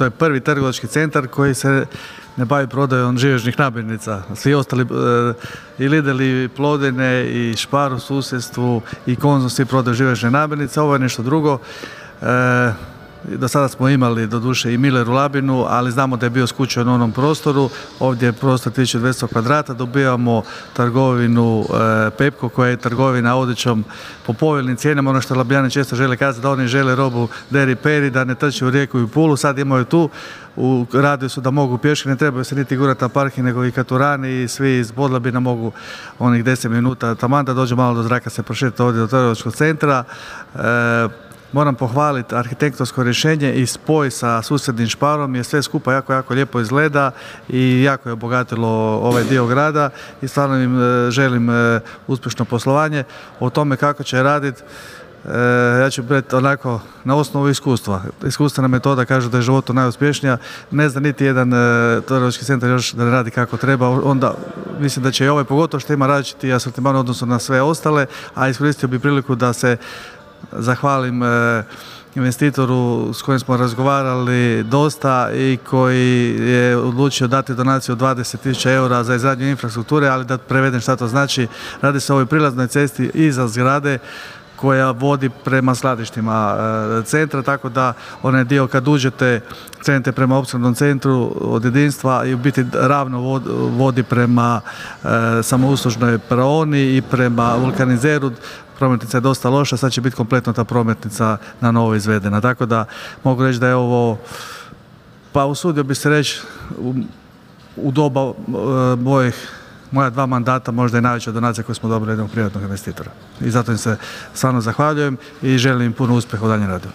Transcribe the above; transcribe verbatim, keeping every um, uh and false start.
to je prvi trgovački centar koji se ne bavi prodajom živežnih namirnica. Svi ostali, i Lidl, i Plodine, i Spar u susjedstvu, i Konzum, svi prodaju živežne namirnice. Ovo je nešto drugo. E, do sada smo imali doduše i Miller u Labinu, ali znamo da je bio skučen u onom prostoru. Ovdje je prostor tisuću dvjesto kvadrata, dobijamo trgovinu e, Pepko, koja je trgovina odjećom po povoljnim cijenama. Ono što Labijani često žele kazati, da oni žele robu deri peri, da ne trči u Rijeku i u Pulu. Sad imaju tu, u radiju su da mogu pješke, ne trebaju se niti gurati na parking, nego i Katurani i svi iz Podlabina mogu onih deset minuta taman da dođe malo do zraka, se prošeta ovdje do trgovačkog centra. E, Moram pohvaliti arhitektonsko rješenje i spoj sa susjednim Sparom, jer sve skupa jako, jako lijepo izgleda i jako je obogatilo ovaj dio grada i stvarno im želim uspješno poslovanje. O tome kako će raditi, ja ću biti onako na osnovu iskustva. Iskustvena metoda kaže da je životu najuspješnija. Ne zna niti jedan trgovački centar još da ne radi kako treba, onda mislim da će i ovaj, pogotovo što ima različiti asortiman u odnosu na sve ostale, a iskoristio bi priliku da se zahvalim e, investitoru s kojim smo razgovarali dosta i koji je odlučio dati donaciju od dvadeset tisuća eura za izgradnju infrastrukture, ali da prevedem šta to znači. Radi se o ovoj prilaznoj cesti iza zgrade koja vodi prema skladištima e, centra, tako da onaj dio kad uđete, krenete prema opskrbnom centru od jedinstva i u biti ravno vodi prema e, samouslužnoj praoni i prema vulkanizeru. Prometnica je dosta loša, sad će biti kompletno ta prometnica na novo izvedena. Tako da mogu reći da je ovo, pa usudio bi se reći, u, u doba e, mojih, moja dva mandata možda je najveća donacija koju smo dobili jednog privatnog investitora. I zato im se stvarno zahvaljujem i želim im puno uspjeha u daljem radu.